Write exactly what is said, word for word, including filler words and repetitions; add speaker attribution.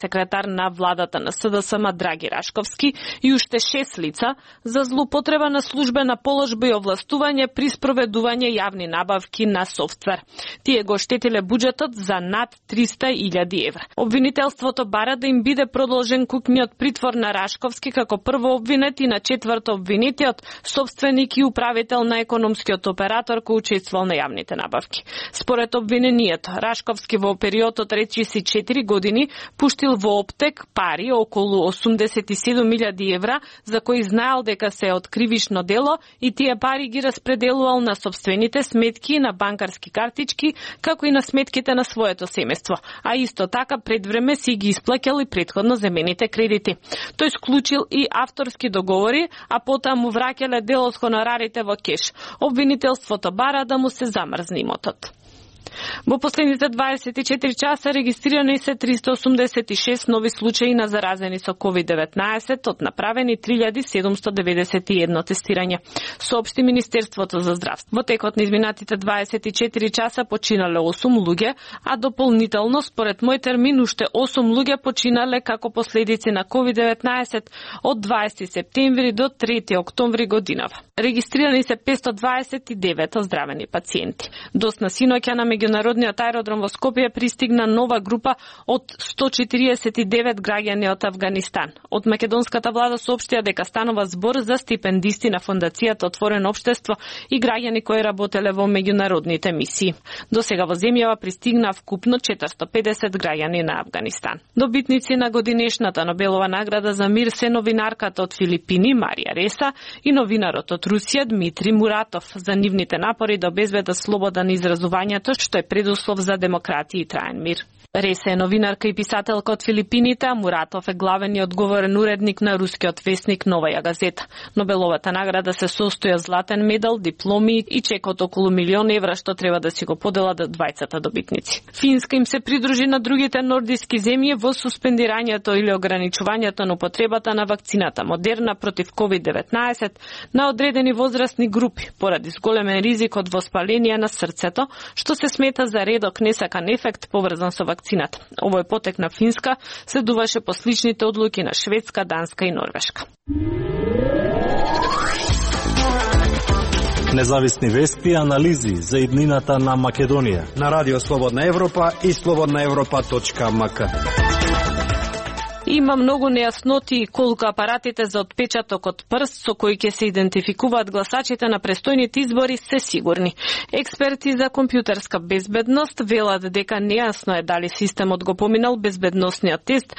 Speaker 1: секретар на владата на СДСМ Драги Рашковски и уште шест лица за злоупотреба на службена положба и овластување при спроведување јавни набавки на софтвер. Тие го штетиле буџетот за над триста илјади евра. Обвинителството бара да им биде продолжен кукниот притвор на Рашковски како прво обвинет и на четврто обвинетиот собственик и управител на економскиот оператор кој учествувал на јавните набавки. Според обвинението, Рашковски во периодот речиси четири години пуштил во оптек пари околу осумдесет и седум илјади евра за кои знаел дека се од кривишно дело и тие пари ги распределувал на собствените сметки, на банкарски картички, како и на сметките на своето семејство, а исто така пред време си ги исплаќал и претходно земените кредити. Тој склучил и авторски договори, а потоа му враќале дел од хонорарите во кеш. Обвинителството бара да му се замрзне имотот. Во последните дваесет и четири часа регистрирани се триста осумдесет и шест нови случаи на заразени со ковид деветнаесет од направени три илјади седумсто деведесет и едно тестирање, соопшти Министерството за здравство. Во текот на изминатите дваесет и четири часа починале осум луѓе, а дополнително според мој термин уште осум луѓе починале како последици на ковид деветнаесет од дваесети септември до трети октомври годинава. Регистрирани се петстотини дваесет и девет оздравени пациенти. Досна синоќа на меѓународниот аеродром во Скопје пристигна нова група од сто четириесет и девет граѓани од Авганистан. Од македонската влада соопштија дека станува збор за стипендисти на фондацијата Отворено општество и граѓани кои работеле во меѓународните мисии. До сега во земјава пристигна вкупно четиристотини и педесет граѓани на Авганистан. Добитници на годинешната Нобелова награда за мир се новинарката од Филипини Марија Реса и новинарот од Русија Дмитри Муратов за нивните напори да обезбедат слобода на изразувањето, што е предуслов за демократија и траен мир. Реса е новинарка и писателка од Филипините, а Муратов е главен и одговорен уредник на рускиот весник Новаја газета. Нобеловата награда се состои од златен медал, дипломи и чек од околу милион евра што треба да си го поделат двајцата добитници. Финска им се придружи на другите нордиски земји во суспендирањето или ограничувањето на употребата на вакцината Модерна против ковид деветнаесет на одредени возрастни групи поради зголемен ризик од воспаление на срцето, што се смета за редок несакан ефект поврзан со вакцината. Овој потек на Финска следуваше по сличните одлуки на Шведска, Данска и Норвешка.
Speaker 2: Независни вести и анализи за иднината на Македонија
Speaker 3: на Радио Слободна Европа и слободна европа точка ем ка.
Speaker 1: Има многу нејасноти колку апаратите за отпечаток од прст со кои ќе се идентификуваат гласачите на престојните избори се сигурни. Експерти за компјутерска безбедност велат дека нејасно е дали системот го поминал безбедносниот тест